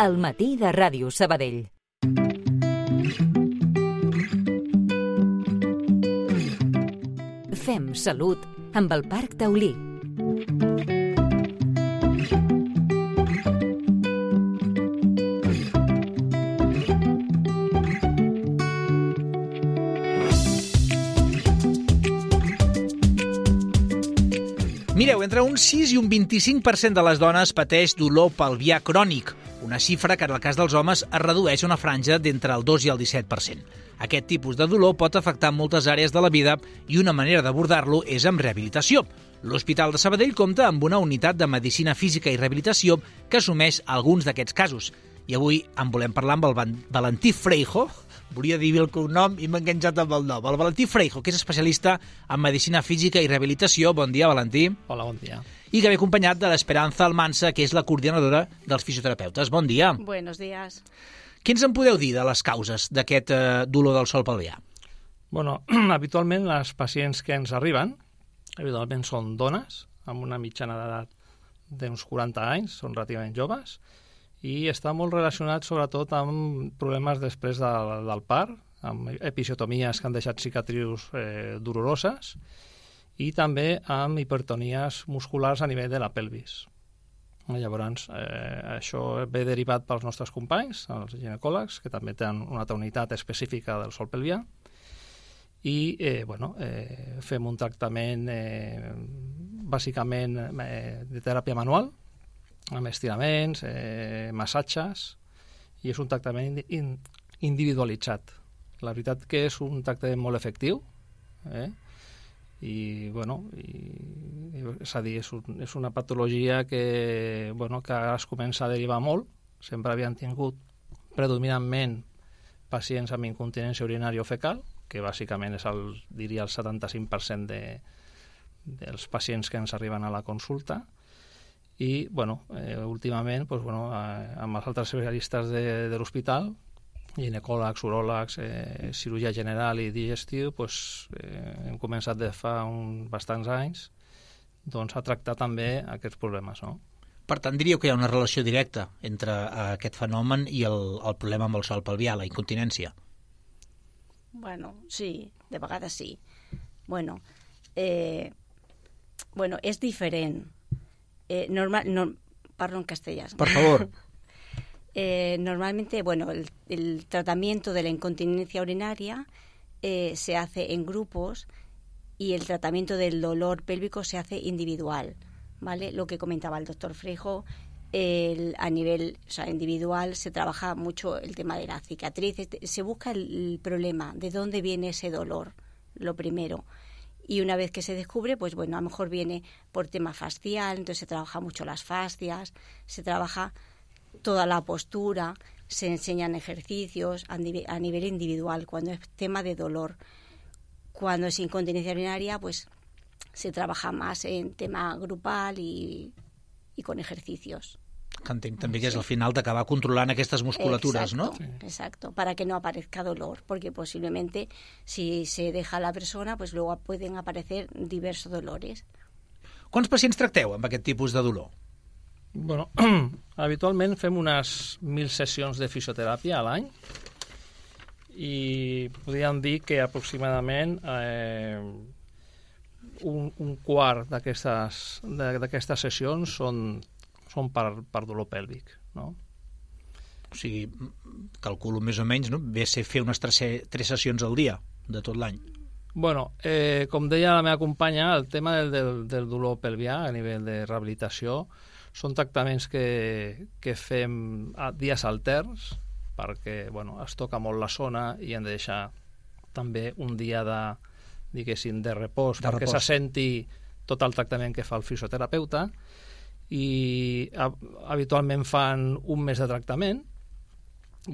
al matí de Ràdio Sabadell. Fem salut amb el Parc Taulí. Mireu, entre un 6 i un 25% de les dones pateix dolor pelvià crònic, una xifra que en el cas dels homes es redueix a una franja d'entre el 2 i el 17%. Aquest tipus de dolor pot afectar moltes àrees de la vida i una manera d'abordar-lo és amb rehabilitació. L'Hospital de Sabadell compta amb una unitat de medicina física i rehabilitació que assumeix alguns d'aquests casos. I avui en volem parlar amb el Valentí Freijo. Volia dir el cognom i m'he enganxat amb el nom. El Valentí Freijo, que és especialista en medicina física i rehabilitació. Bon dia, Valentí. Hola, bon dia. I que ve acompanyat de l'Esperanza Almansa, que és la coordinadora dels fisioterapeutes. Bon dia. Buenos días. Què ens en podeu dir de les causes d'aquest dolor del sòl pelvià? Bueno, habitualment les pacients que ens arriben, habitualment són dones, amb una mitjana d'edat d'uns 40 anys, són relativament joves, i està molt relacionat sobretot amb problemes després del part, amb episiotomies que han deixat cicatrius doloroses i també amb hipertonies musculars a nivell de la pelvis. Llavors, això ve derivat pels nostres companys, els ginecòlegs, que també tenen una altra unitat específica del sòl pelvià, i fem un tractament bàsicament de teràpia manual, amb estiraments, massatges, i és un tractament individualitzat. La veritat que és un tractament molt efectiu, és a dir, és una patologia que ara es comença a derivar molt. Sempre havien tingut predominantment pacients amb incontinència urinària o fecal, que bàsicament és el 75% dels pacients que ens arriben a la consulta. I, últimament, amb els altres especialistes de l'hospital, ginecòlegs, uròlegs, cirurgia general i digestiu, hem començat de fa bastants anys a tractar també aquests problemes, no? Per tant, diríeu que hi ha una relació directa entre aquest fenomen i el problema amb el sòl pelvià, la incontinència? Bueno, sí, de vegades sí. És diferent. Parlo en castellano. Por favor. Normalmente, el tratamiento de la incontinencia urinaria se hace en grupos y el tratamiento del dolor pélvico se hace individual, ¿vale? Lo que comentaba el doctor Freijo, a nivel individual se trabaja mucho el tema de la cicatriz, se busca el problema, de dónde viene ese dolor, lo primero. Y una vez que se descubre, a lo mejor viene por tema fascial, entonces se trabaja mucho las fascias, se trabaja toda la postura, se enseñan ejercicios a nivel individual cuando es tema de dolor. Cuando es incontinencia urinaria, se trabaja más en tema grupal y con ejercicios. Que entenc també que és al final d'acabar controlant aquestes musculatures, exacto, ¿no? Sí. Exacto, para que no aparezca dolor, porque posiblemente si se deja a la persona, luego pueden aparecer diversos dolores. Quants pacients tracteu amb aquest tipus de dolor? Habitualment fem unes 1.000 sessions de fisioteràpia a l'any i podríem dir que aproximadament un quart d'aquestes sessions són per dolor pèlvic, no? O sigui, calculo més o menys, no? Ve a ser fer unes 3 sessions al dia de tot l'any. Com deia la meva companya, el tema del dolor pelvià a nivell de rehabilitació són tractaments que fem a dies alterns perquè es toca molt la zona i hem de deixar també un dia de repòs perquè se senti tot el tractament que fa el fisioterapeuta. I habitualment fan un mes de tractament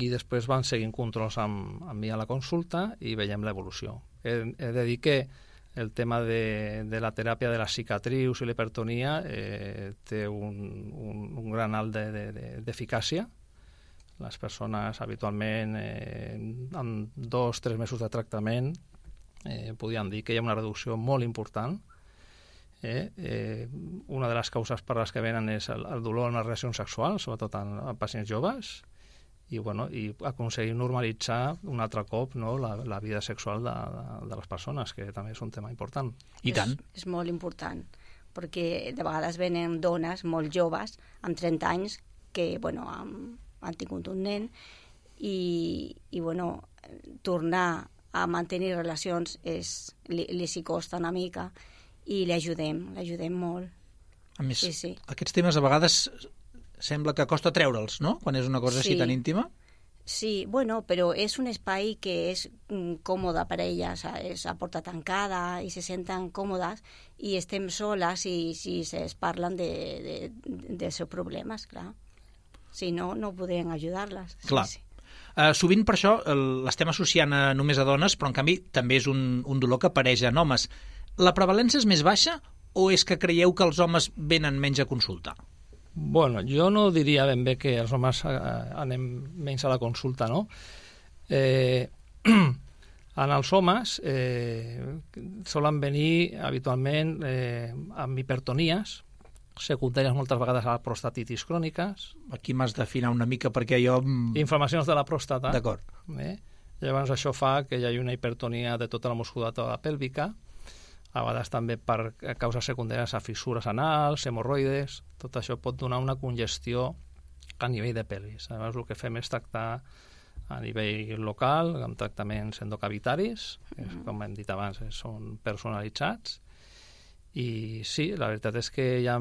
i després van seguint controls amb mi a la consulta i veiem l'evolució. He de dir que el tema de la teràpia de les cicatrius i l'hipertonia té un gran alt d'eficàcia. Les persones habitualment en 2-3 mesos de tractament podríem dir que hi ha una reducció molt important Una de les causes per les que venen és el dolor en les relacions sexuals, sobretot en pacients joves, i aconseguir normalitzar un altre cop, no, la vida sexual de les persones, que també és un tema important. I tant. És molt important, perquè de vegades venen dones molt joves, amb 30 anys, que han tingut un nen, i tornar a mantenir relacions li s'hi costa una mica, i l'ajudem molt. A més, sí. Aquests temes a vegades sembla que costa treure'ls, no?, quan és una cosa així tan íntima. Sí, però és un espai que és còmode per elles, és a porta tancada i se senten còmodes i estem soles i es parlen dels seus problemes, clar. Si no, no podrien ajudar-les. Clar. Sí. Sovint per això l'estem associant només a dones, però en canvi també és un dolor que apareix en homes. La prevalència és més baixa o és que creieu que els homes venen menys a consultar? Bueno, jo no diria ben bé que els homes anem menys a la consulta, no? En els homes solen venir habitualment amb hipertonies secundàries moltes vegades a la prostatitis cròniques. Aquí m'has d'afinar una mica perquè jo... Inflamacions de la pròstata. D'acord. Llavors això fa que hi hagi una hipertonia de tota la musculatura pèlvica, a vegades també per causes secundàries a fissures anals, hemorroides. Tot això pot donar una congestió a nivell de pelvis. Llavors el que fem és tractar a nivell local, amb tractaments endocavitaris, que com hem dit abans són personalitzats. I sí, la veritat és que hi ha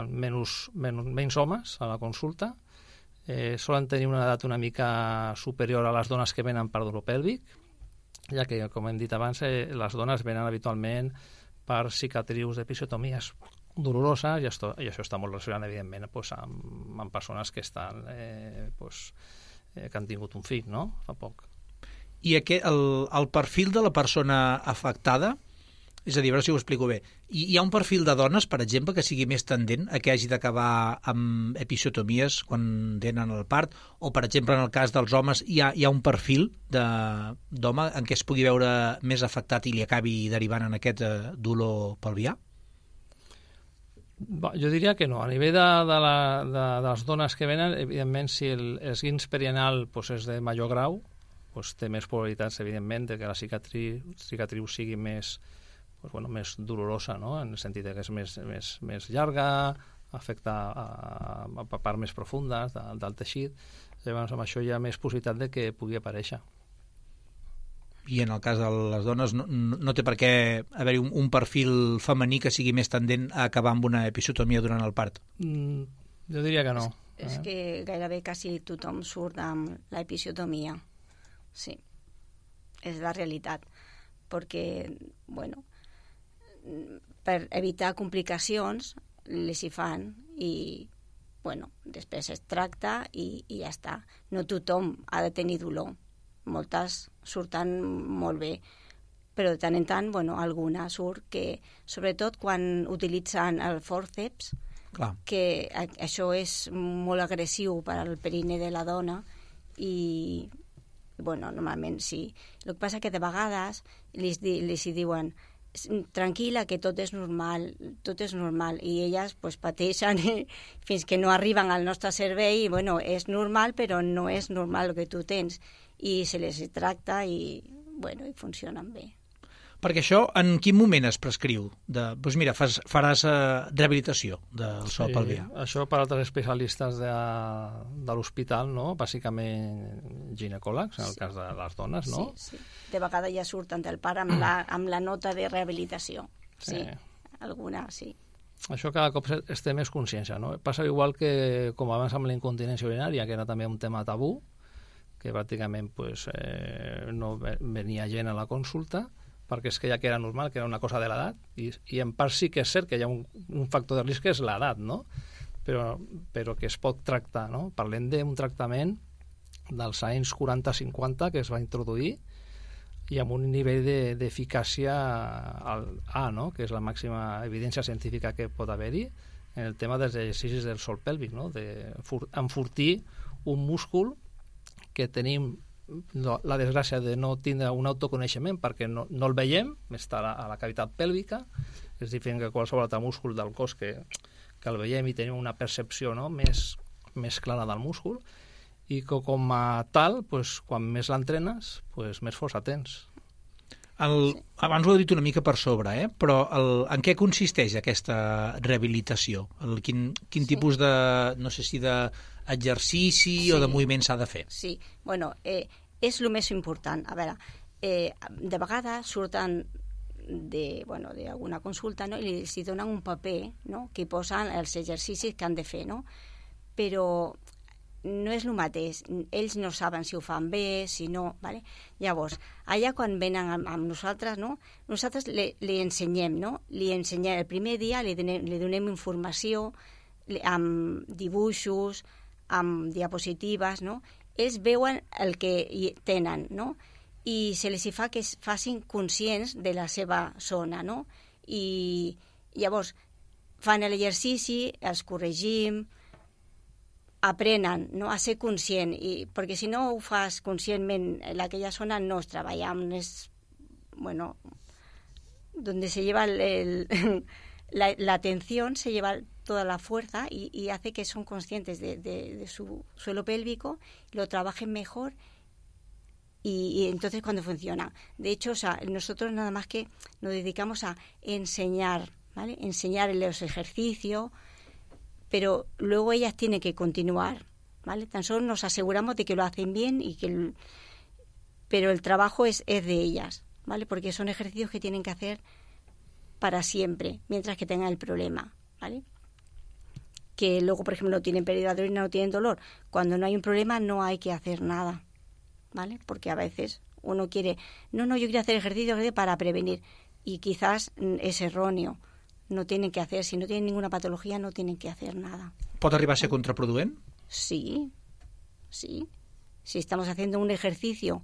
menys homes a la consulta. Solen tenir una edat una mica superior a les dones que venen per dolor pèlvic, ja que, com hem dit abans, les dones venen habitualment per cicatrius d'episiotomies doloroses, i això està molt relacionat, evidentment, amb persones que han tingut un fill, no?, fa poc. I el perfil de la persona afectada, és a dir, a veure si ho explico bé, hi ha un perfil de dones, per exemple, que sigui més tendent a que hagi d'acabar amb episiotomies quan tenen el part, o, per exemple, en el cas dels homes, hi ha un perfil d'home en què es pugui veure més afectat i li acabi derivant en aquest dolor pelvià? Jo diria que no. A nivell de les dones que venen, evidentment, si l'esguins perianal és de major grau, té més probabilitats, evidentment, de que la cicatriu sigui més dolorosa, no?, en el sentit que és més llarga, afecta a parts més profundes del teixit. Llavors, amb això hi ha més possibilitat de que pugui aparèixer. I en el cas de les dones no té per què haver-hi un perfil femení que sigui més tendent a acabar amb una episiotomia durant el part? Jo diria que no. És que gairebé quasi tothom surt amb l'episiotomia. Sí, és la realitat. Perquè, per evitar complicacions les hi fan i després es tracta i ja està. No tothom ha de tenir dolor, moltes surten molt bé, però de tant en tant alguna surt que, sobretot quan utilitzen el fòrceps, que això és molt agressiu per al perine de la dona i normalment sí. El que passa que de vegades les hi diuen tranquil·la, que tot és normal, i elles pateixen fins que no arriben al nostre servei, és normal, però no és normal el que tu tens, i se les tracta i funcionen bé. Perquè això, en quin moment es prescriu? Doncs mira, faràs rehabilitació del sòl pelvià. Això per altres especialistes de l'hospital, no? Bàsicament ginecòlegs, en el cas de les dones, no? Sí. De vegades ja surten del part amb la nota de rehabilitació. Sí, alguna, sí. Això cada cop es té més consciència, no? Passa igual que, com abans amb la incontinència urinària, que era també un tema tabú, que pràcticament no venia gent a la consulta, perquè es creia que era normal, que era una cosa de l'edat, i en part sí que és cert que hi ha un factor de risc que és l'edat, no? Però que es pot tractar, no? Parlem d'un tractament dels anys 40-50 que es va introduir i amb un nivell d'eficàcia al A, no?, que és la màxima evidència científica que pot haver-hi en el tema dels exercicis del sòl pèlvic, no?, d'enfortir un múscul que tenim la desgràcia de no tindre un autoconeixement perquè no el veiem, està a la cavitat pèlvica, que és diferent que qualsevol altre múscul del cos que el veiem i tenim una percepció, no?, més clara del múscul, i que com a tal, pues, quan més l'entrenes, pues, més força tens. Abans ho he dit una mica per sobre, però en què consisteix aquesta rehabilitació? Quin tipus de, no sé si d'exercici o de moviment s'ha de fer? Sí, bueno, és el més important. A veure, de vegades surten d'alguna consulta, no?, i els donen un paper, no?, que hi posen els exercicis que han de fer, no? Però no és el mateix. Ells no saben si ho fan bé, si no, ¿vale? Llavors, allà quan venen amb nosaltres, no?, nosaltres li ensenyem, no? Li ensenyem el primer dia, li donem informació amb dibuixos, amb diapositives, no? Ells veuen el que tenen, no? I se les fa que es facin conscients de la seva zona, no? I llavors fan l'exercici, els corregim, aprenen, no?, a ser conscient, perquè si no ho fas conscientment, en aquella zona no es treballa, bueno, donde se lleva la atención, se lleva toda la fuerza y hace que son conscientes de su suelo pélvico, lo trabajen mejor y entonces cuando funciona. De hecho, o sea, nosotros nada más que nos dedicamos a enseñar, ¿vale? Enseñar los ejercicios, pero luego ellas tienen que continuar, ¿vale? Tan solo nos aseguramos de que lo hacen bien pero el trabajo es de ellas, ¿vale? Porque son ejercicios que tienen que hacer para siempre, mientras que tengan el problema, ¿vale? Que luego, por ejemplo, no tienen pérdida de orina, no tienen dolor. Cuando no hay un problema no hay que hacer nada, ¿vale? Porque a veces uno quiere, yo quiero hacer ejercicio para prevenir, y quizás es erróneo. No tienen que hacer, si no tienen ninguna patología, no tienen que hacer nada. ¿Pot arribar a ser contraproduent? Sí. Si estamos haciendo un ejercicio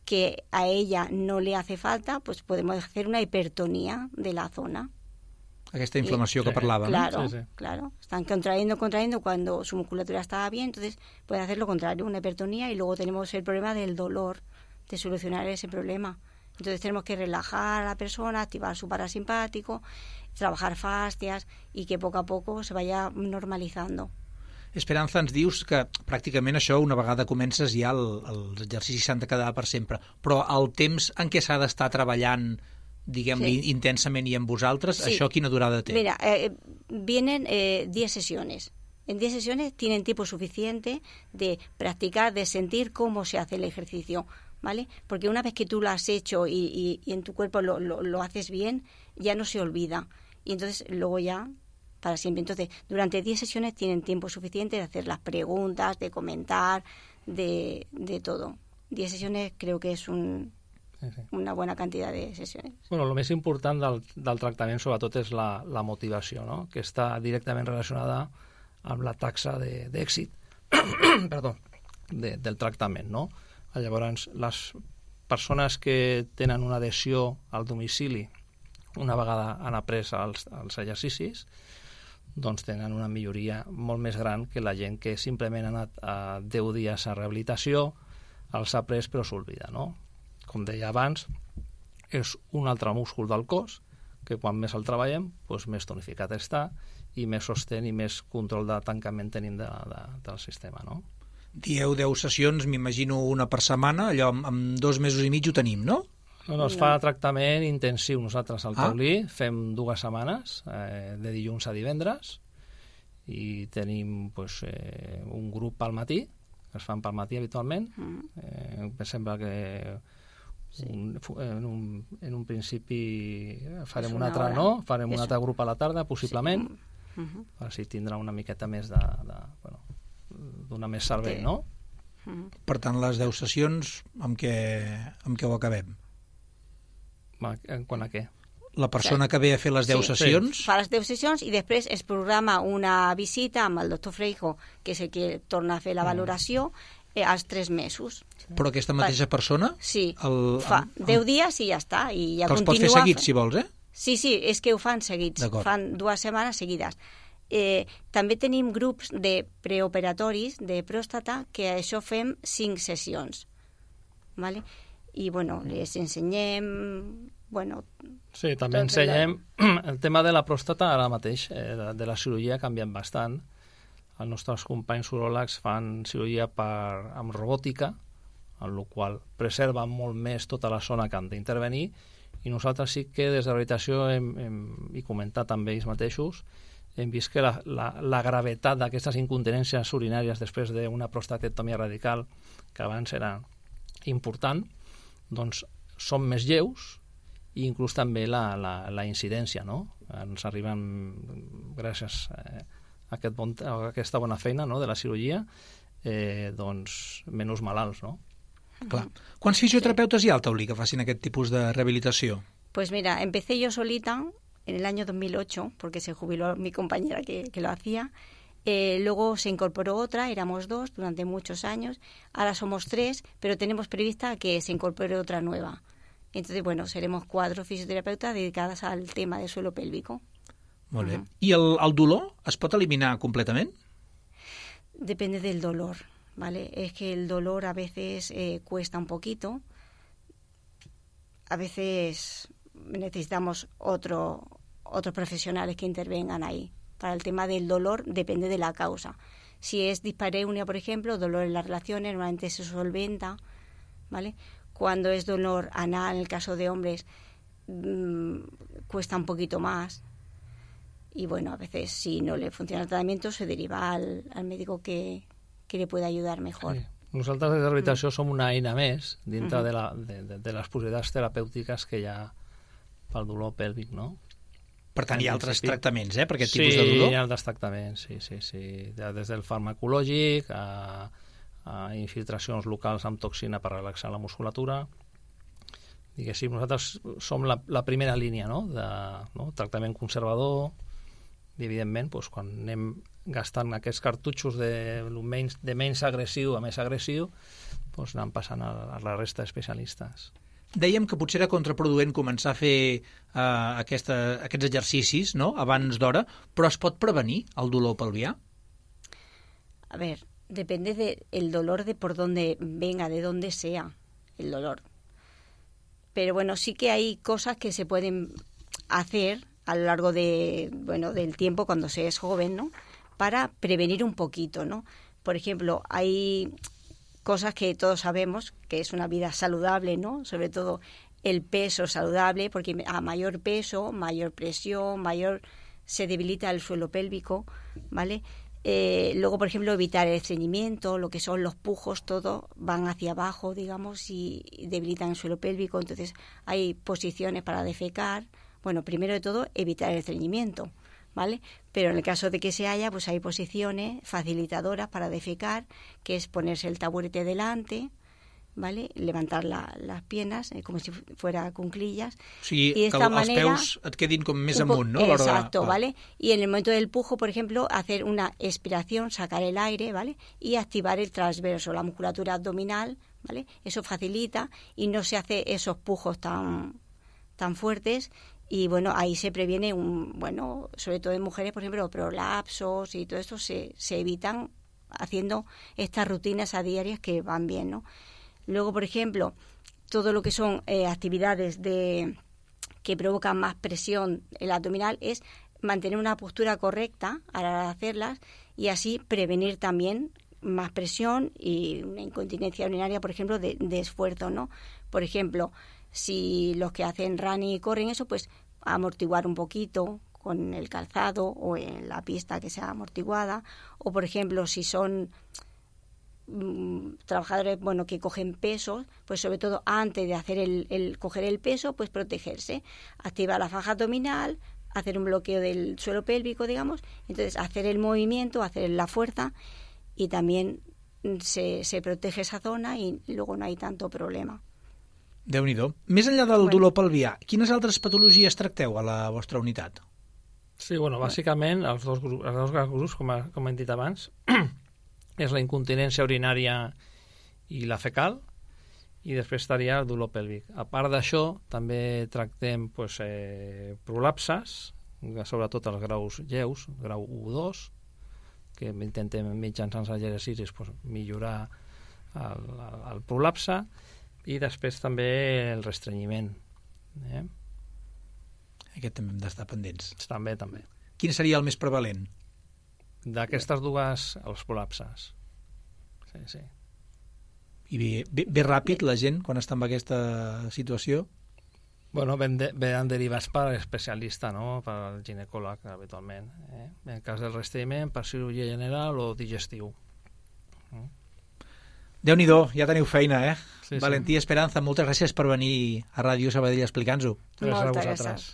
que a ella no le hace falta, pues podemos hacer una hipertonía de la zona. Aquesta inflamació que parlàvem. Claro, claro. Están contrayendo cuando su musculatura está bien, entonces puede hacer lo contrario, una hipertonía, y luego tenemos el problema del dolor, de solucionar ese problema. Entonces tenemos que relajar a la persona, activar su parasimpático, trabajar fascias y que poco a poco se vaya normalizando. Esperanza, ens dius que pràcticament això, una vegada comences ja els exercicis s'han de quedar per sempre, però el temps en què s'ha d'estar treballant, diguem-li, intensament i amb vosaltres, això quina durada té? Mira, vienen 10 sesiones. En 10 sesiones tienen tiempo suficiente de practicar, de sentir cómo se hace el ejercicio, ¿vale? Porque una vez que tú lo has hecho y en tu cuerpo lo haces bien, ya no se olvida. Y entonces luego ya para siempre. Entonces, durante 10 sesiones tienen tiempo suficiente de hacer las preguntas, de comentar, de todo. 10 sesiones creo que es una buena cantidad de sesiones. Bueno, el més important del tractament sobretot és la motivació, no?, que està directament relacionada amb la taxa d'èxit del tractament, no? Llavors, les persones que tenen una adhesió al domicili una vegada han après els exercicis, doncs tenen una milloria molt més gran que la gent que simplement ha anat a 10 dies a rehabilitació, els ha après però s'oblida, no? Com deia abans, és un altre múscul del cos que quan més el treballem, doncs més tonificat està i més sostén i més control de tancament tenim del sistema, no? Dieu 10 sessions, m'imagino una per setmana, allò amb 2 mesos i mig ho tenim, no? No, es fa tractament intensiu. Nosaltres al Taulí fem 2 setmanes, de dilluns a divendres, i tenim un grup al matí, que es fan pel matí habitualment. Em sembla que en un principi farem un altre, no? Farem un altre grup a la tarda, possiblement, així tindrà una miqueta més donar més servei, no? Per tant, les 10 sessions, amb què ho acabem? Quant a què? La persona que ve a fer les 10 sessions... Fa les 10 sessions i després es programa una visita amb el doctor Freijo, que és el que torna a fer la valoració, als 3 mesos. Però aquesta mateixa persona? Sí, fa 10 dies i ja està. I ja que els pots fer seguits, si vols, Sí, és que ho fan seguits. Fan 2 setmanes seguides. També tenim grups de preoperatoris de pròstata, que això fem 5 sessions. ¿Vale? i bueno, les ensenyem... Bueno, sí, també ensenyem el tema de la pròstata ara mateix, de la cirurgia ha canviat bastant. Els nostres companys uròlegs fan cirurgia amb robòtica, en la qual preserven molt més tota la zona que han d'intervenir, i nosaltres sí que des de l'habitació i comentat amb ells mateixos hem vist que la gravetat d'aquestes incontinències urinàries després d'una prostatectomia radical, que abans era important, doncs són més lleus, i inclús també la incidència, no? Ens arriben, gràcies a aquesta bona feina, no?, de la cirurgia, doncs menys malalts, no? Clar. Quants fisioterapeutes hi ha al Taulí que facin aquest tipus de rehabilitació? Pues mira, empecé yo solita en el año 2008, porque se jubiló mi compañera que lo hacía. Luego se incorporó otra, éramos 2 durante muchos años. Ahora somos 3, pero tenemos prevista que se incorpore otra nueva. Entonces, bueno, seremos 4 fisioterapeutas dedicadas al tema del suelo pélvico. Molt bé. I el dolor es pot eliminar completament? Depende del dolor, ¿vale? Es que el dolor a veces cuesta un poquito. A veces necesitamos otros profesionales que intervengan ahí. Para el tema del dolor depende de la causa. Si es dispareunia, por ejemplo, dolor en las relaciones, normalmente se solventa, ¿vale? Cuando es dolor anal, en el caso de hombres, cuesta un poquito más. Y bueno, a veces si no le funciona el tratamiento se deriva al médico que le puede ayudar mejor. Sí. Nosaltres des de rehabilitació som una eina més dintre de les possibilitats terapèutiques que hi ha pel dolor pèlvic, no? Per tant, hi ha altres tractaments, per aquest tipus de dolor? Sí, hi ha altres tractaments, sí. Des del farmacològic a infiltracions locals amb toxina per relaxar la musculatura. Diguéssim, nosaltres som la primera línia, no?, tractament conservador, i evidentment, quan anem gastant aquests cartutxos de menys agressiu a més agressiu, anem passant a la resta d'especialistes. Dèiem que potser era contraproduent començar a fer aquests exercicis, no?, abans d'hora, però es pot prevenir el dolor pelvià? A ver, depende del dolor de por dónde venga, de dónde sea el dolor. Pero bueno, sí que hay cosas que se pueden hacer a lo largo del tiempo cuando se es joven, ¿no?, para prevenir un poquito, ¿no? Por ejemplo, hay cosas que todos sabemos, que es una vida saludable, ¿no? Sobre todo el peso saludable, porque a mayor peso, mayor presión, se debilita el suelo pélvico, ¿vale? Luego, por ejemplo, evitar el estreñimiento, lo que son los pujos, todo van hacia abajo, digamos, y debilitan el suelo pélvico. Entonces, hay posiciones para defecar. Bueno, primero de todo, evitar el estreñimiento, ¿vale? Pero en el caso de que se haya, pues hay posiciones facilitadoras para defecar, que es ponerse el taburete delante, ¿vale? Levantar las piernas como si fuera cuclillas. Sí, y de esta manera, els peus et quedin com més amunt, no? Exacto, ¿vale? Y en el momento del pujo, por ejemplo, hacer una expiración, sacar el aire, ¿vale? Y activar el transverso, la musculatura abdominal, ¿vale? Eso facilita y no se hace esos pujos tan fuertes. Y bueno, ahí se previene, sobre todo en mujeres, por ejemplo, prolapsos y todo esto se evitan haciendo estas rutinas a diarias que van bien, ¿no? Luego, por ejemplo, todo lo que son actividades que provocan más presión el abdominal es mantener una postura correcta a la hora de hacerlas y así prevenir también más presión y una incontinencia urinaria, por ejemplo, de esfuerzo, ¿no? Por ejemplo, si los que hacen running y corren eso, pues amortiguar un poquito con el calzado o en la pista que sea amortiguada. O, por ejemplo, si son trabajadores que cogen pesos, pues sobre todo antes de hacer el coger el peso, pues protegerse, activar la faja abdominal, hacer un bloqueo del suelo pélvico, digamos, entonces hacer el movimiento, hacer la fuerza y también se protege esa zona y luego no hay tanto problema. Déu-n'hi-do. Més enllà del dolor pelvià, quines altres patologies tracteu a la vostra unitat? Sí, bàsicament els dos grans grups, com hem dit abans, és la incontinència urinària i la fecal, i després estaria el dolor pèlvic. A part d'això, també tractem prolapses, sobretot els graus lleus, grau 1-2, que intentem mitjançant els exercicis millorar el prolapse, I després també el restrenyiment. Aquest també hem d'estar pendents. També. Quin seria el més prevalent? D'aquestes dues, els col·lapses. Sí. I ve ràpid la gent quan està en aquesta situació? Bueno, ven derivats per l'especialista, no? Per al ginecòleg, habitualment. En el cas del restrenyiment, per cirurgia general o digestiu. Déu-n'hi-do, ja teniu feina, Sí. Valentí Esperanza, moltes gràcies per venir a Ràdio Sabadell a explicar-nos-ho. Gràcies a vosaltres.